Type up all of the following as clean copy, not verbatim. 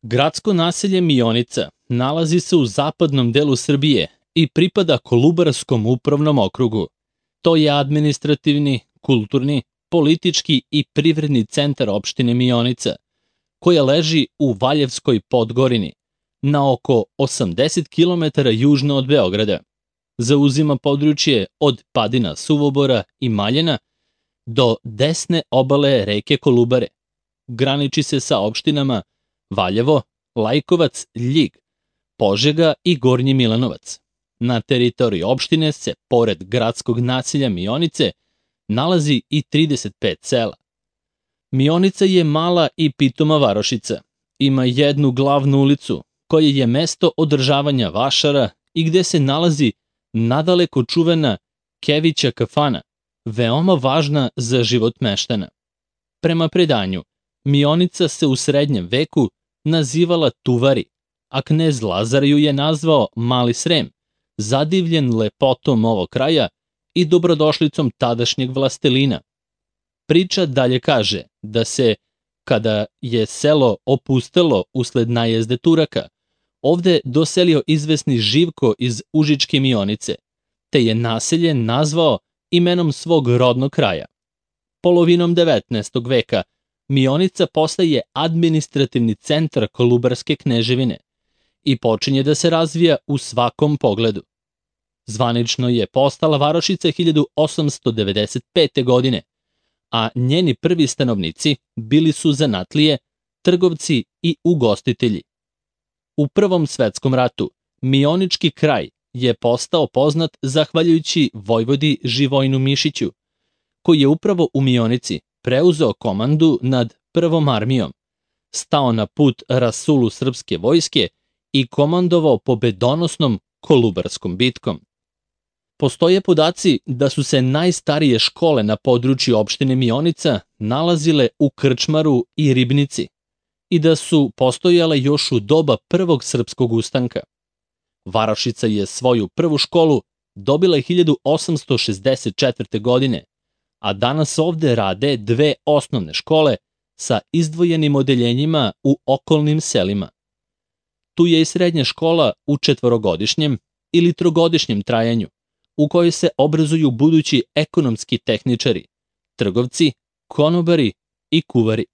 Gradsko naselje Mionica nalazi se u zapadnom delu Srbije i pripada Kolubarskom upravnom okrugu. To je administrativni, kulturni, politički i privredni centar opštine Mionica, koja leži u Valjevskoj Podgorini, na oko 80 km južno od Beograda. Zauzima područje od padina Suvobora i Maljena do desne obale reke Kolubare. Graniči se sa opštinama Valjevo, Lajkovac, Ljig, Požega i Gornji Milanovac. Na teritoriji opštine se, pored gradskog naselja Mionice, nalazi i 35 sela. Mionica je mala i pitoma varošica. Ima jednu glavnu ulicu, koja je mesto održavanja vašara i gde se nalazi nadaleko čuvena Kevića kafana, veoma važna za život meštana. Prema predanju, Mionica se u srednjem veku nazivala Tuvari, a knez Lazar ju je nazvao Mali Srem, zadivljen lepotom ovog kraja i dobrodošlicom tadašnjeg vlastelina. Priča dalje kaže da se, kada je selo opustelo usled najezde Turaka, ovde doselio izvesni Živko iz Užičke Mionice, te je naselje nazvao imenom svog rodnog kraja. Polovinom 19. veka Mionica postaje administrativni centar Kolubarske kneževine i počinje da se razvija u svakom pogledu. Zvanično je postala varošica 1895. godine, a njeni prvi stanovnici bili su zanatlije, trgovci i ugostitelji. U Prvom svetskom ratu Mionički kraj je postao poznat zahvaljujući vojvodi Živojnu Mišiću, koji je upravo u Mionici preuzeo komandu nad Prvom armijom, stao na put rasulu srpske vojske i komandovao pobedonosnom Kolubarskom bitkom. Postoje podaci da su se najstarije škole na području opštine Mionica nalazile u Krčmaru i Ribnici i da su postojale još u doba Prvog srpskog ustanka. Varošica je svoju prvu školu dobila 1864. godine, a danas ovde rade dve osnovne škole sa izdvojenim odeljenjima u okolnim selima. Tu je i srednja škola u četvorogodišnjem ili trogodišnjem trajanju, u kojoj se obrazuju budući ekonomski tehničari, trgovci, konobari i kuvari.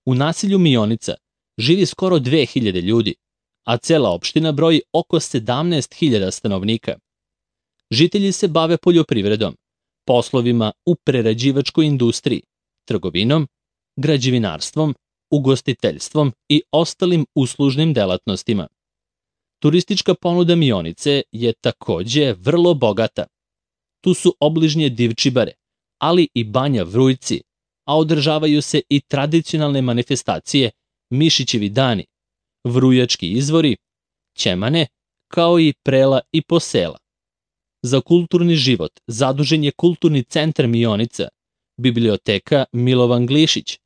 U naselju Mionica živi skoro 2000 ljudi, a cela opština broji oko 17.000 stanovnika. Žitelji se bave poljoprivredom, poslovima u prerađivačkoj industriji, trgovinom, građevinarstvom, ugostiteljstvom i ostalim uslužnim delatnostima. Turistička ponuda Mionice je takođe vrlo bogata. Tu su obližnje Divčibare, ali i Banja Vrujci, a održavaju se i tradicionalne manifestacije Mišićevi dani, Vrujački izvori, Ćemane, kao i Prela i Posela. Za kulturni život zadužen je Kulturni centar Mionica, biblioteka Milovan Glišić,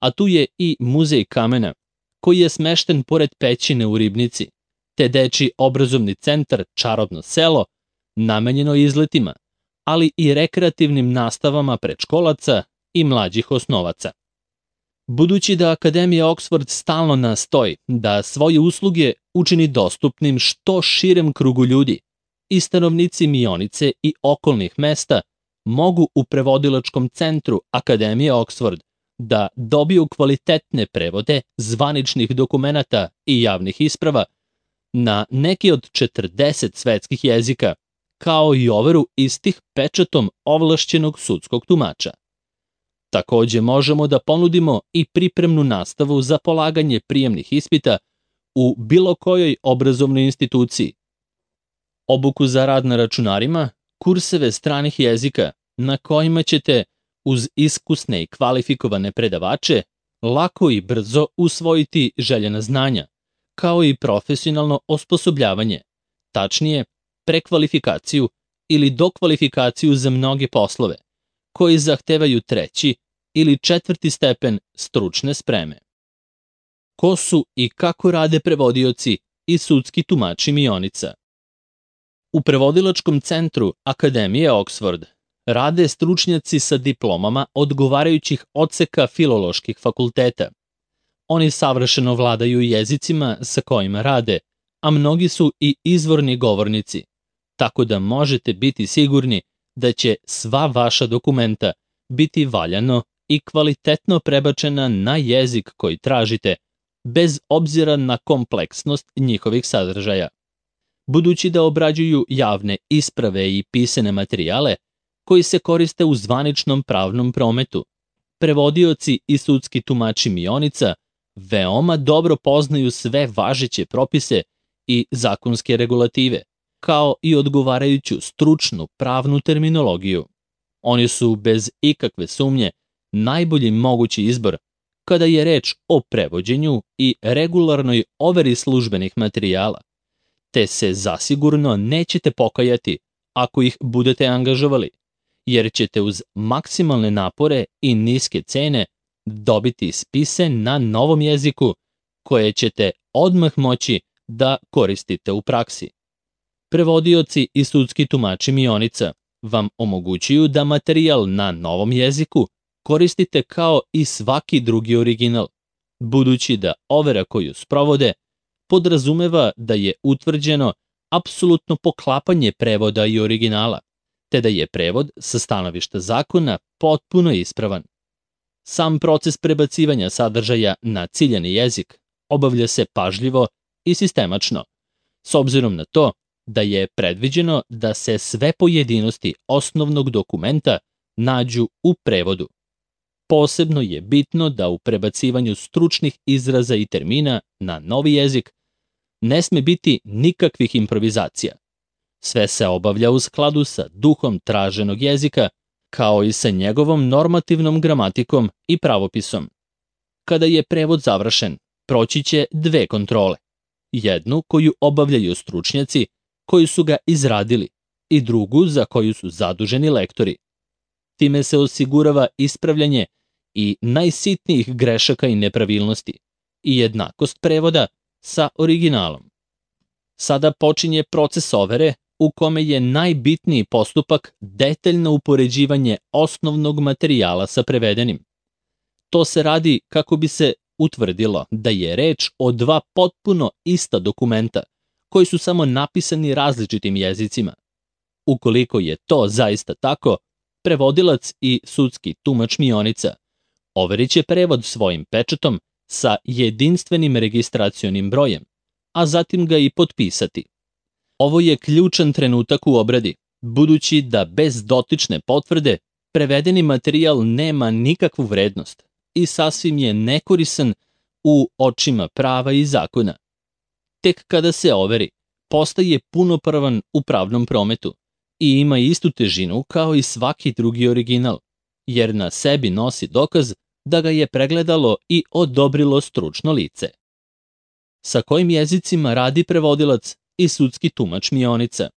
a tu je i Muzej kamena, koji je smešten pored pećine u Ribnici, te dečiji obrazovni centar Čarobno selo, namenjeno izletima, ali i rekreativnim nastavama predškolaca i mlađih osnovaca. Budući da Akademija Oksford stalno nastoji da svoje usluge učini dostupnim što širem krugu ljudi, i stanovnici Mionice i okolnih mesta mogu u prevodilačkom centru Akademije Oksford da dobiju kvalitetne prevode zvaničnih dokumenata i javnih isprava na neki od 40 svetskih jezika, kao i overu istih pečatom ovlašćenog sudskog tumača. Takođe možemo da ponudimo i pripremnu nastavu za polaganje prijemnih ispita u bilo kojoj obrazovnoj instituciji, obuku za rad na računarima, kurseve stranih jezika na kojima ćete, uz iskusne i kvalifikovane predavače, lako i brzo usvojiti željena znanja, kao i profesionalno osposobljavanje, tačnije prekvalifikaciju ili dokvalifikaciju za mnoge poslove, koji zahtevaju 3. ili 4. stepen stručne spreme. Ko su i kako rade prevodioci i sudski tumači Mionica? U prevodilačkom centru Akademije Oksford rade stručnjaci sa diplomama odgovarajućih odseka filoloških fakulteta. Oni savršeno vladaju jezicima sa kojima rade, a mnogi su i izvorni govornici, tako da možete biti sigurni da će sva vaša dokumenta biti valjano i kvalitetno prebačena na jezik koji tražite, bez obzira na kompleksnost njihovih sadržaja. Budući da obrađuju javne isprave i pisane materijale koji se koriste u zvaničnom pravnom prometu, prevodioci i sudski tumači mionica veoma dobro poznaju sve važeće propise i zakonske regulative, kao i odgovarajuću stručnu pravnu terminologiju. Oni su bez ikakve sumnje najbolji mogući izbor kada je reč o prevođenju i regularnoj overi službenih materijala, te se zasigurno nećete pokajati ako ih budete angažovali, jer ćete uz maksimalne napore i niske cene dobiti spise na novom jeziku koje ćete odmah moći da koristite u praksi. Prevodioci i sudski tumači mionica vam omogućuju da materijal na novom jeziku koristite kao i svaki drugi original, budući da overa koju sprovode podrazumeva da je utvrđeno apsolutno poklapanje prevoda i originala, te da je prevod sa stanovišta zakona potpuno ispravan. Sam proces prebacivanja sadržaja na ciljani jezik obavlja se pažljivo i sistemačno, s obzirom na to da je predviđeno da se sve pojedinosti osnovnog dokumenta nađu u prevodu. Posebno je bitno da u prebacivanju stručnih izraza i termina na novi jezik ne sme biti nikakvih improvizacija. Sve se obavlja u skladu sa duhom traženog jezika, kao i sa njegovom normativnom gramatikom i pravopisom. Kada je prevod završen, proći će dve kontrole. Jednu koju obavljaju stručnjaci koji su ga izradili i drugu za koju su zaduženi lektori. Time se osigurava ispravljanje i najsitnijih grešaka i nepravilnosti i jednakost prevoda sa originalom. Sada počinje proces overe u kome je najbitniji postupak detaljno upoređivanje osnovnog materijala sa prevedenim. To se radi kako bi se utvrdilo da je reč o dva potpuno ista dokumenta koji su samo napisani različitim jezicima. Ukoliko je to zaista tako, prevodilac i sudski tumač mionica overit će prevod svojim pečatom sa jedinstvenim registracionim brojem, a zatim ga i potpisati. Ovo je ključan trenutak u obradi, budući da bez dotične potvrde prevedeni materijal nema nikakvu vrednost i sasvim je nekorisan u očima prava i zakona. Tek kada se overi, postaje punopravan u pravnom prometu i ima istu težinu kao i svaki drugi original, jer na sebi nosi dokaz da ga je pregledalo i odobrilo stručno lice. Sa kojim jezicima radi prevodilac i sudski tumač mionica?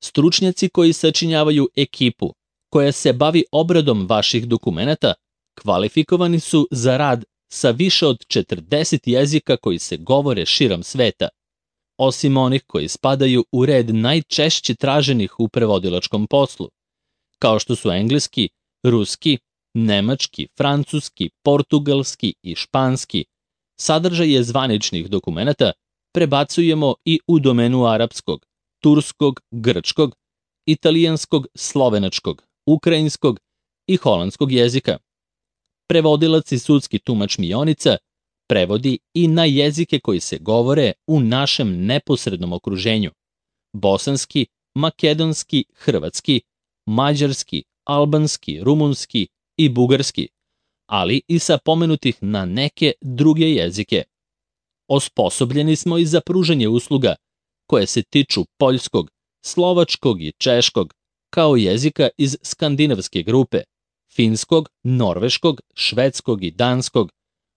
Stručnjaci koji sačinjavaju ekipu koja se bavi obradom vaših dokumenata kvalifikovani su za rad sa više od 40 jezika koji se govore širom sveta, osim onih koji spadaju u red najčešće traženih u prevodilačkom poslu, kao što su engleski, ruski, nemački, francuski, portugalski i španski. Sadržaje zvaničnih dokumenata prebacujemo i u domenu arapskog, turskog, grčkog, italijanskog, slovenačkog, ukrajinskog i holandskog jezika. Prevodilac i sudski tumač mionica prevodi i na jezike koji se govore u našem neposrednom okruženju: bosanski, makedonski, hrvatski, mađarski, albanski, rumunski i bugarski, ali i sa pomenutih na neke druge jezike. Osposobljeni smo i za pružanje usluga koje se tiču poljskog, slovačkog i češkog, kao jezika iz skandinavske grupe, finskog, norveškog, švedskog i danskog,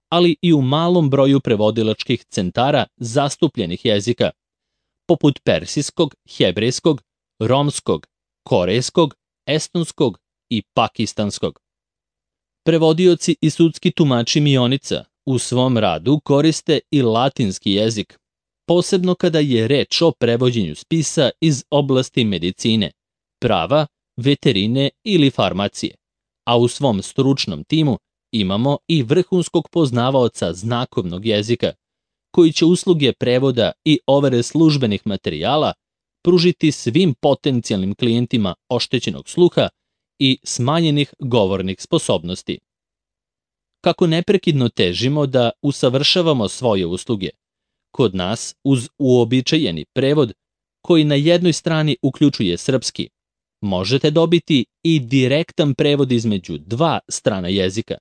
ali i u malom broju prevodilačkih centara zastupljenih jezika, poput persijskog, hebrejskog, romskog, korejskog, estonskog i pakistanskog. Prevodioci i sudski tumači mionica u svom radu koriste i latinski jezik, posebno kada je reč o prevođenju spisa iz oblasti medicine, prava, veterine ili farmacije, a u svom stručnom timu imamo i vrhunskog poznavaoca znakovnog jezika, koji će usluge prevoda i overe službenih materijala pružiti svim potencijalnim klijentima oštećenog sluha i smanjenih govornih sposobnosti. Kako neprekidno težimo da usavršavamo svoje usluge, kod nas uz uobičajeni prevod, koji na jednoj strani uključuje srpski, možete dobiti i direktan prevod između dva strana jezika.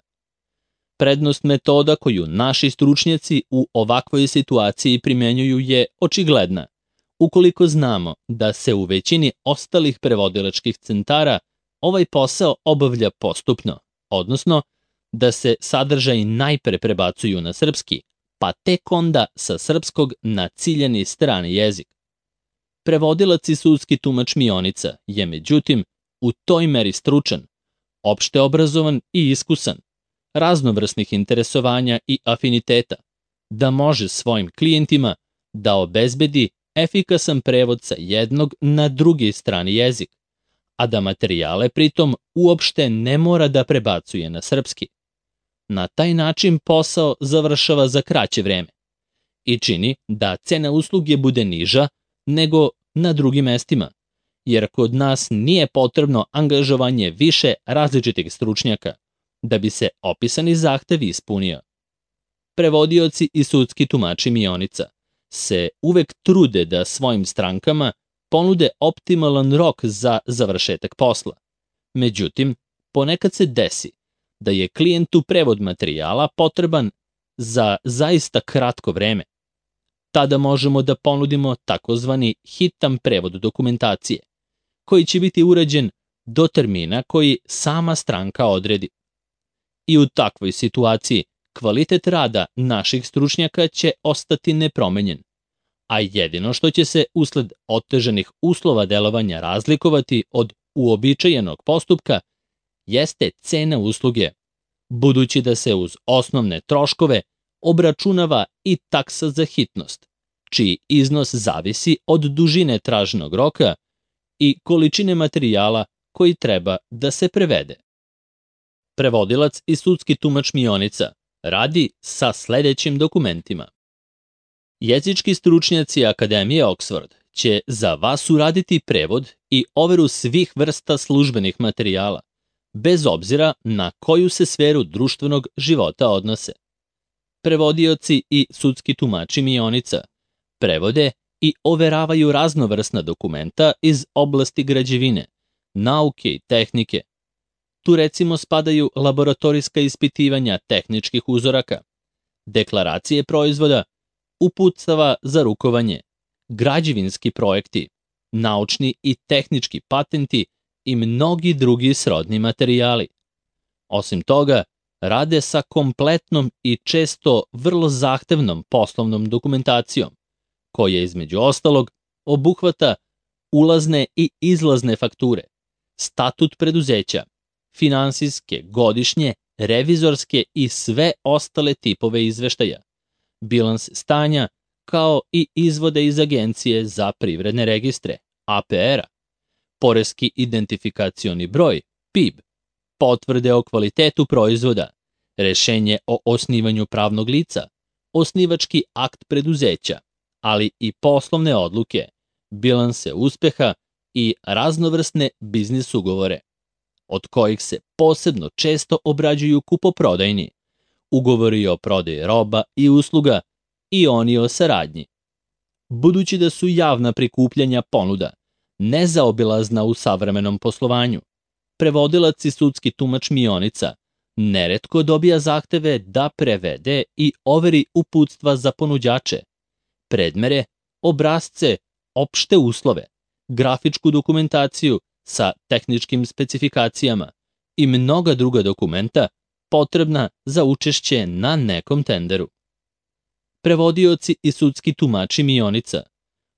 Prednost metoda koju naši stručnjaci u ovakvoj situaciji primenjuju je očigledna, ukoliko znamo da se u većini ostalih prevodilačkih centara ovaj posao obavlja postupno, odnosno da se sadržaji najpre prebacuju na srpski, pa tek onda sa srpskog na ciljani strani jezik. Prevodilac i sudski tumač Mionica je međutim u toj meri stručan, opšte obrazovan i iskusan, raznovrsnih interesovanja i afiniteta, da može svojim klijentima da obezbedi efikasan prevod sa jednog na drugi strani jezik, a da materijale pritom uopšte ne mora da prebacuje na srpski. Na taj način posao završava za kraće vreme i čini da cena usluge bude niža nego na drugim mestima, jer kod nas nije potrebno angažovanje više različitih stručnjaka da bi se opisani zahtev ispunio. Prevodioci i sudski tumači Mionica se uvek trude da svojim strankama ponude optimalan rok za završetak posla. Međutim, ponekad se desi da je klijentu prevod materijala potreban za zaista kratko vreme. Tada možemo da ponudimo takozvani hitan prevod dokumentacije, koji će biti urađen do termina koji sama stranka odredi. I u takvoj situaciji kvalitet rada naših stručnjaka će ostati nepromenjen, a jedino što će se usled otežanih uslova delovanja razlikovati od uobičajenog postupka jeste cena usluge, budući da se uz osnovne troškove obračunava i taksa za hitnost, čiji iznos zavisi od dužine traženog roka i količine materijala koji treba da se prevede. Prevodilac i sudski tumač Mionica radi sa sledećim dokumentima. Jezički stručnjaci Akademije Oxford će za vas uraditi prevod i overu svih vrsta službenih materijala, bez obzira na koju se sferu društvenog života odnose. Prevodioci i sudski tumači Mionica prevode i overavaju raznovrsna dokumenta iz oblasti građevine, nauke i tehnike. Tu recimo spadaju laboratorijska ispitivanja tehničkih uzoraka, deklaracije proizvoda, uputstava za rukovanje, građevinski projekti, naučni i tehnički patenti i mnogi drugi srodni materijali. Osim toga, rade sa kompletnom i često vrlo zahtevnom poslovnom dokumentacijom, koja između ostalog obuhvata ulazne i izlazne fakture, statut preduzeća, finansijske, godišnje, revizorske i sve ostale tipove izveštaja, bilans stanja, kao i izvode iz Agencije za privredne registre, APR-a, poreski identifikacioni broj, PIB, potvrde o kvalitetu proizvoda, rešenje o osnivanju pravnog lica, osnivački akt preduzeća, ali i poslovne odluke, bilanse uspeha i raznovrsne biznis ugovore, od kojih se posebno često obrađuju kupoprodajni, ugovori o prodaji roba i usluga i oni o saradnji. Budući da su javna prikupljanja ponuda nezaobilazna u savremenom poslovanju, prevodilac i sudski tumač Mionica neretko dobija zahteve da prevede i overi uputstva za ponuđače, predmere, obrasce, opšte uslove, grafičku dokumentaciju sa tehničkim specifikacijama i mnoga druga dokumenta potrebna za učešće na nekom tenderu. Prevodioci i sudski tumači Mionica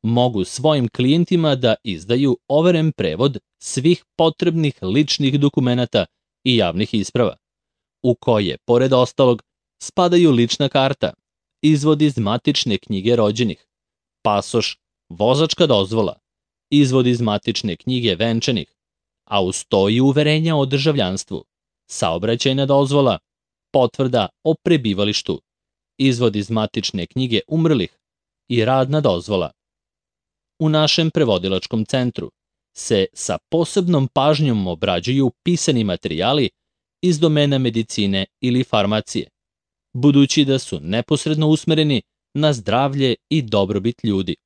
mogu svojim klijentima da izdaju overen prevod svih potrebnih ličnih dokumenata i javnih isprava, u koje, pored ostalog, spadaju lična karta, izvod iz matične knjige rođenih, pasoš, vozačka dozvola, izvod iz matične knjige venčanih, a uz to i uverenja o državljanstvu, saobraćajna dozvola, potvrda o prebivalištu, izvod iz matične knjige umrlih i radna dozvola. U našem prevodilačkom centru se sa posebnom pažnjom obrađuju pisani materijali iz domena medicine ili farmacije, budući da su neposredno usmereni na zdravlje i dobrobit ljudi.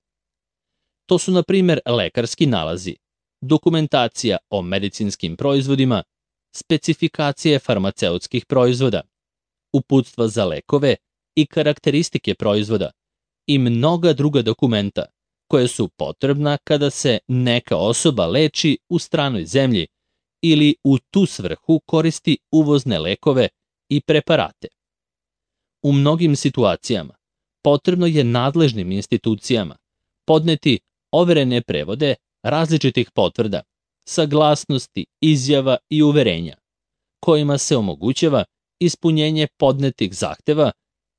To su, na primjer, lekarski nalazi, dokumentacija o medicinskim proizvodima, specifikacije farmaceutskih proizvoda, uputstva za lekove i karakteristike proizvoda i mnoga druga dokumenta koje su potrebna kada se neka osoba leči u stranoj zemlji ili u tu svrhu koristi uvozne lekove i preparate. U mnogim situacijama potrebno je nadležnim institucijama podneti overene prevode različitih potvrda, saglasnosti, izjava i uverenja, kojima se omogućava ispunjenje podnetih zahteva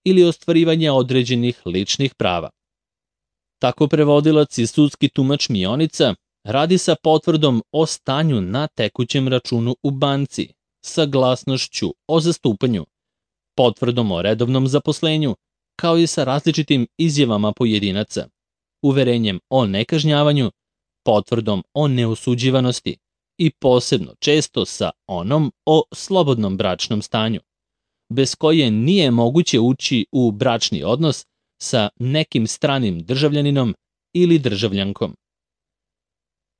ili ostvarivanje određenih ličnih prava. Tako prevodilac i sudski tumač mionica radi sa potvrdom o stanju na tekućem računu u banci, saglasnošću o zastupanju, potvrdom o redovnom zaposlenju, kao i sa različitim izjavama pojedinaca, uverenjem o nekažnjavanju, potvrdom o neosuđivanosti i posebno često sa onom o slobodnom bračnom stanju, bez koje nije moguće ući u bračni odnos sa nekim stranim državljaninom ili državljankom.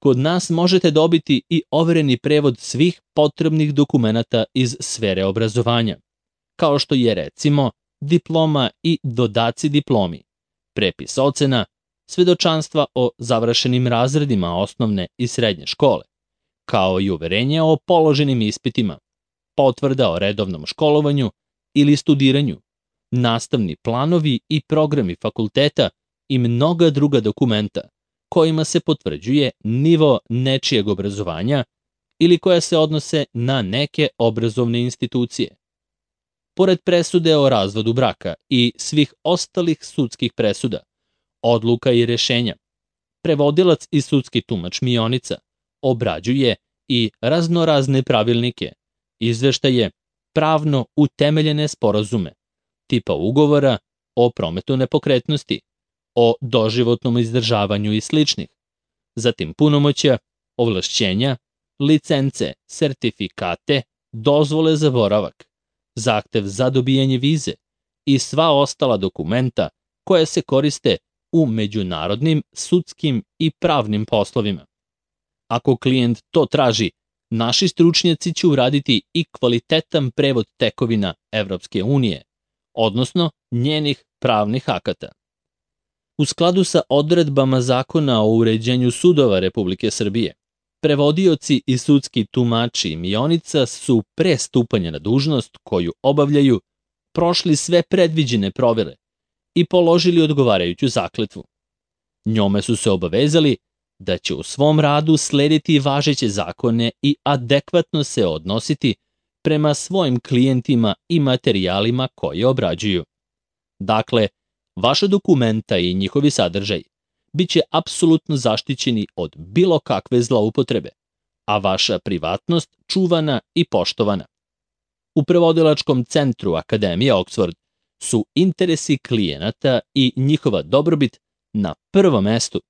Kod nas možete dobiti i overeni prevod svih potrebnih dokumenata iz sfere obrazovanja, kao što je recimo diploma i dodaci diplomi, prepis ocena, svedočanstva o završenim razredima osnovne i srednje škole, kao i uverenje o položenim ispitima, potvrda o redovnom školovanju ili studiranju, nastavni planovi i programi fakulteta i mnoga druga dokumenta kojima se potvrđuje nivo nečijeg obrazovanja ili koja se odnose na neke obrazovne institucije. Pored presude o razvodu braka i svih ostalih sudskih presuda, odluka i rešenja, prevodilac i sudski tumač mionica obrađuje i raznorazne pravilnike, izveštaje, pravno utemeljene sporazume, tipa ugovora o prometu nepokretnosti, o doživotnom izdržavanju i sličnih, zatim punomoćja, ovlašćenja, licence, sertifikate, dozvole za boravak, zahtev za dobijanje vize i sva ostala dokumenta koja se koriste u međunarodnim, sudskim i pravnim poslovima. Ako klijent to traži, naši stručnjaci će uraditi i kvalitetan prevod tekovina Evropske unije, odnosno njenih pravnih akata. U skladu sa odredbama Zakona o uređenju sudova Republike Srbije, prevodioci i sudski tumači mionica su pre stupanja na dužnost koju obavljaju prošli sve predviđene provere i položili odgovarajuću zakletvu. Njome su se obavezali da će u svom radu slediti važeće zakone i adekvatno se odnositi prema svojim klijentima i materijalima koje obrađuju. Dakle, vaša dokumenta i njihovi sadržaj biće apsolutno zaštićeni od bilo kakve zloupotrebe, a vaša privatnost čuvana i poštovana. U prevodilačkom centru Akademije Oxford su interesi klijenata i njihova dobrobit na prvom mestu,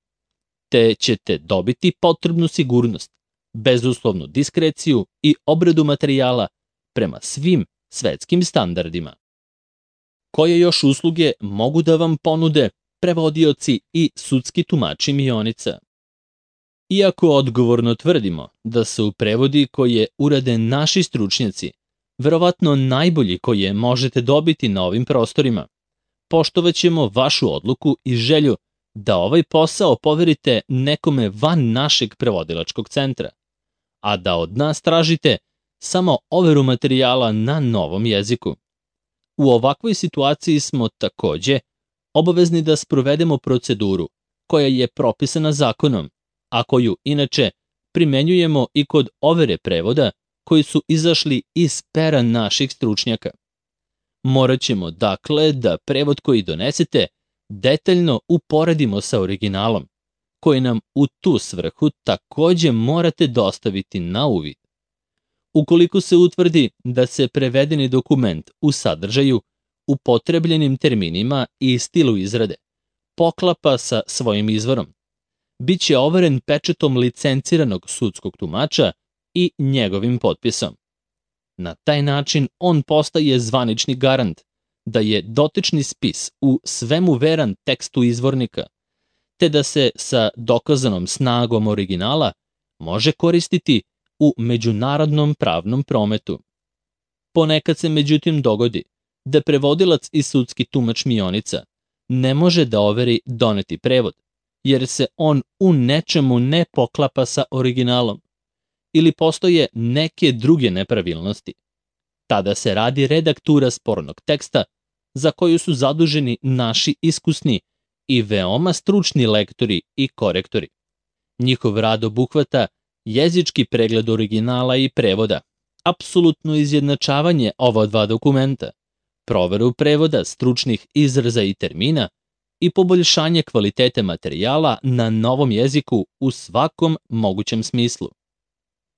te ćete dobiti potrebnu sigurnost, bezuslovnu diskreciju i obradu materijala prema svim svetskim standardima. Koje još usluge mogu da vam ponude prevodioci i sudski tumači mionica? Iako odgovorno tvrdimo da su prevodi koje urade naši stručnjaci verovatno najbolji koje možete dobiti na ovim prostorima, poštovaćemo vašu odluku i želju da ovaj posao poverite nekome van našeg prevodilačkog centra, a da od nas tražite samo overu materijala na novom jeziku. U ovakvoj situaciji smo takođe obavezni da sprovedemo proceduru koja je propisana zakonom, a koju inače primenjujemo i kod overe prevoda koji su izašli iz pera naših stručnjaka. Morat ćemo, dakle, da prevod koji donesete detaljno uporedimo sa originalom, koji nam u tu svrhu takođe morate dostaviti na uvid. Ukoliko se utvrdi da se prevedeni dokument u sadržaju, upotrebljenim terminima i stilu izrade poklapa sa svojim izvorom, bit će overen pečatom licenciranog sudskog tumača i njegovim potpisom. Na taj način on postaje zvanični garant da je dotični spis u svemu veran tekstu izvornika, te da se sa dokazanom snagom originala može koristiti u međunarodnom pravnom prometu. Ponekad se međutim dogodi da prevodilac i sudski tumač mionica ne može da overi doneti prevod, jer se on u nečemu ne poklapa sa originalom ili postoje neke druge nepravilnosti. Tada se radi redaktura spornog teksta za koju su zaduženi naši iskusni i veoma stručni lektori i korektori. Njihov rad obuhvata jezički pregled originala i prevoda, apsolutno izjednačavanje ova dva dokumenta, proveru prevoda stručnih izraza i termina i poboljšanje kvalitete materijala na novom jeziku u svakom mogućem smislu.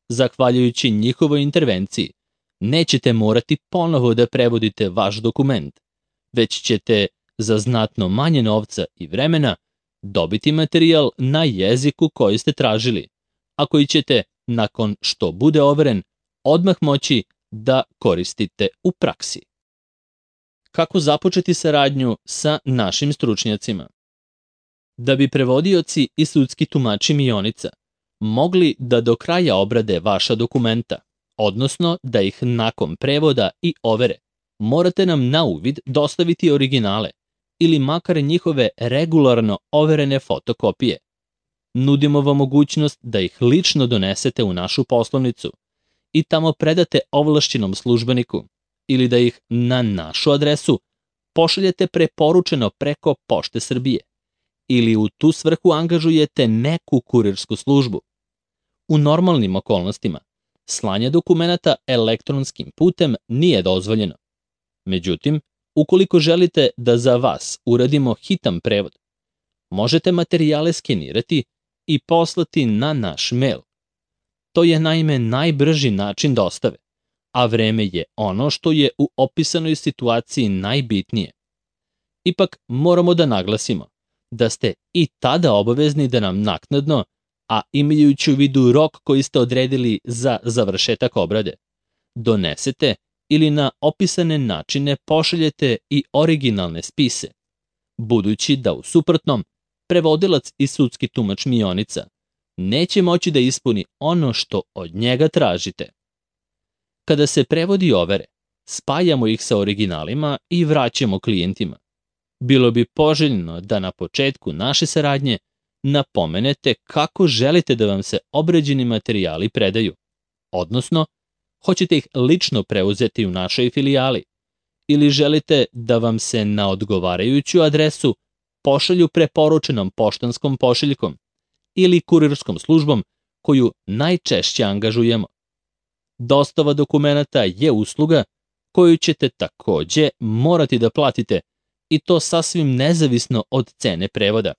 Zahvaljujući njihovoj intervenciji, nećete morati ponovo da prevodite vaš dokument, već ćete za znatno manje novca i vremena dobiti materijal na jeziku koji ste tražili, a koji ćete, nakon što bude overen, odmah moći da koristite u praksi. Kako započeti saradnju sa našim stručnjacima? Da bi prevodioci i sudski tumači mionica mogli da do kraja obrade vaša dokumenta, odnosno da ih nakon prevoda i overe, morate nam na uvid dostaviti originale ili makar njihove regularno overene fotokopije. Nudimo vam mogućnost da ih lično donesete u našu poslovnicu i tamo predate ovlašćenom službeniku ili da ih na našu adresu pošaljete preporučeno preko Pošte Srbije ili u tu svrhu angažujete neku kurirsku službu. U normalnim okolnostima slanje dokumenata elektronskim putem nije dozvoljeno. Međutim, ukoliko želite da za vas uradimo hitan prevod, možete materijale skenirati i poslati na naš mail. To je naime najbrži način dostave, a vreme je ono što je u opisanoj situaciji najbitnije. Ipak moramo da naglasimo da ste i tada obavezni da nam naknadno, a imajući u vidu rok koji ste odredili za završetak obrade, donesete ili na opisane načine pošaljete i originalne spise, budući da u suprotnom prevodilac i sudski tumač mionica neće moći da ispuni ono što od njega tražite. Kada se prevodi overe, spajamo ih sa originalima i vraćamo klijentima. Bilo bi poželjno da na početku naše saradnje napomenete kako želite da vam se obrađeni materijali predaju, odnosno hoćete ih lično preuzeti u našoj filijali ili želite da vam se na odgovarajuću adresu pošalju preporučenom poštanskom pošiljkom ili kurirskom službom koju najčešće angažujemo. Dostava dokumenata je usluga koju ćete takođe morati da platite i to sasvim nezavisno od cene prevoda,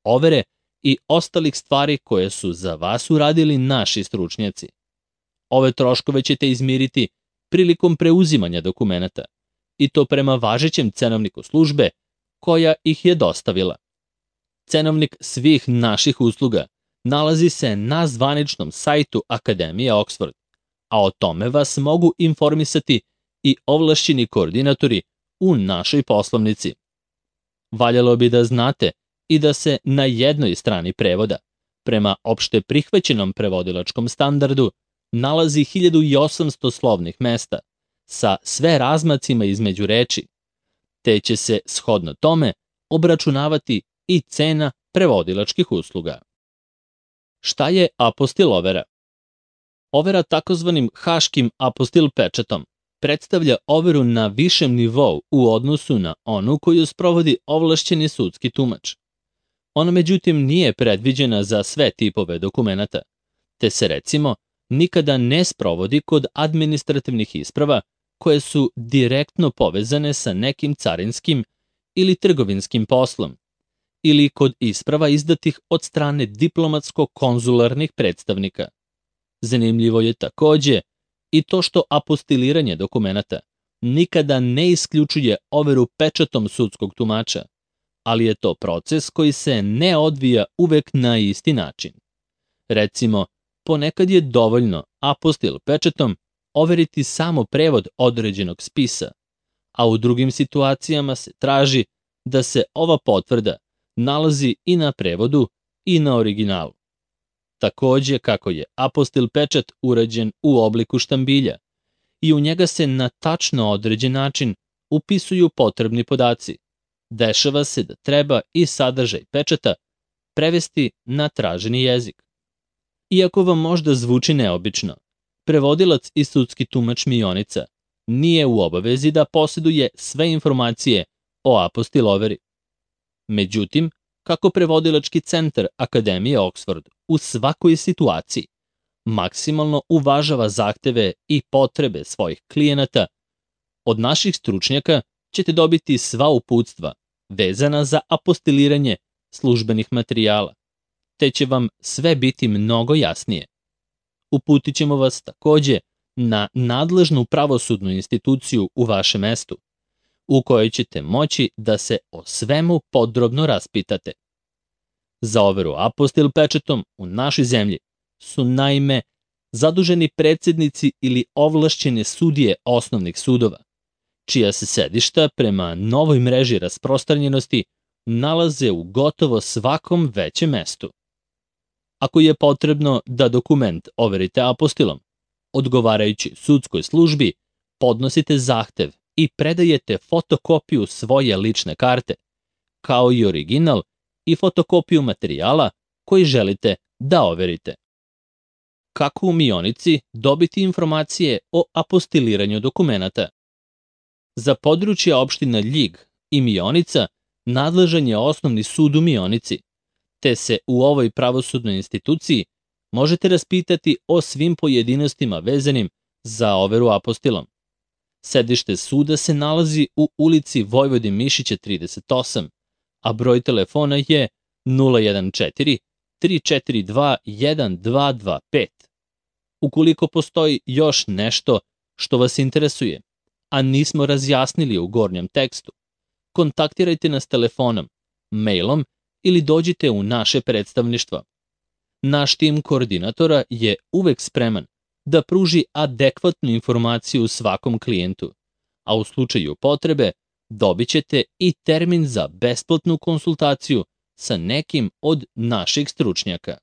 overe i ostalih stvari koje su za vas uradili naši stručnjaci. Ove troškove ćete izmiriti prilikom preuzimanja dokumenata i to prema važećem cenovniku službe koja ih je dostavila. Cenovnik svih naših usluga nalazi se na zvaničnom sajtu Akademije Oxford, a o tome vas mogu informisati i ovlašćeni koordinatori u našoj poslovnici. Valjalo bi da znate i da se na jednoj strani prevoda, prema opšte prihvaćenom prevodilačkom standardu, nalazi 1800 slovnih mesta sa sve razmacima između reči, te će se shodno tome obračunavati i cena prevodilačkih usluga. Šta je apostil overa? Overa takozvanim haškim apostil pečatom predstavlja overu na višem nivou u odnosu na onu koju sprovodi ovlašćeni sudski tumač. Ona međutim nije predviđena za sve tipove dokumenata, te se recimo nikada ne sprovodi kod administrativnih isprava koje su direktno povezane sa nekim carinskim ili trgovinskim poslom, ili kod isprava izdatih od strane diplomatsko-konzularnih predstavnika. Zanimljivo je takođe i to što apostiliranje dokumenata nikada ne isključuje overu pečatom sudskog tumača, ali je to proces koji se ne odvija uvek na isti način. Recimo, ponekad je dovoljno apostil pečatom overiti samo prevod određenog spisa, a u drugim situacijama se traži da se ova potvrda nalazi i na prevodu i na originalu. Takođe, kako je apostil pečat urađen u obliku štambilja i u njega se na tačno određen način upisuju potrebni podaci, dešava se da treba i sadržaj pečata prevesti na traženi jezik. Iako vam možda zvuči neobično, prevodilac i sudski tumač mionica nije u obavezi da poseduje sve informacije o apostil overi. Međutim, kako prevodilački centar Akademije Oxford u svakoj situaciji maksimalno uvažava zahteve i potrebe svojih klijenata, od naših stručnjaka ćete dobiti sva uputstva vezana za apostiliranje službenih materijala, te će vam sve biti mnogo jasnije. Uputit ćemo vas takođe na nadležnu pravosudnu instituciju u vašem mestu, u kojoj ćete moći da se o svemu podrobno raspitate. Za overu apostil pečatom u našoj zemlji su naime zaduženi predsednici ili ovlašćene sudije osnovnih sudova, čija se sedišta prema novoj mreži rasprostranjenosti nalaze u gotovo svakom većem mestu. Ako je potrebno da dokument overite apostilom, odgovarajući sudskoj službi podnosite zahtev i predajete fotokopiju svoje lične karte, kao i original i fotokopiju materijala koji želite da overite. Kako u mionici dobiti informacije o apostiliranju dokumenata? Za područje opština Ljig i Mionica nadležan je Osnovni sud u Mionici, te se u ovoj pravosudnoj instituciji možete raspitati o svim pojedinostima vezanim za overu apostilom. Sedište suda se nalazi u ulici Vojvodin Mišića 38, a broj telefona je 014 342 1225. Ukoliko postoji još nešto što vas interesuje, a nismo razjasnili u gornjem tekstu, kontaktirajte nas telefonom, mailom ili dođite u naše predstavništvo. Naš tim koordinatora je uvek spreman da pruži adekvatnu informaciju svakom klijentu, a u slučaju potrebe dobit ćete i termin za besplatnu konsultaciju sa nekim od naših stručnjaka.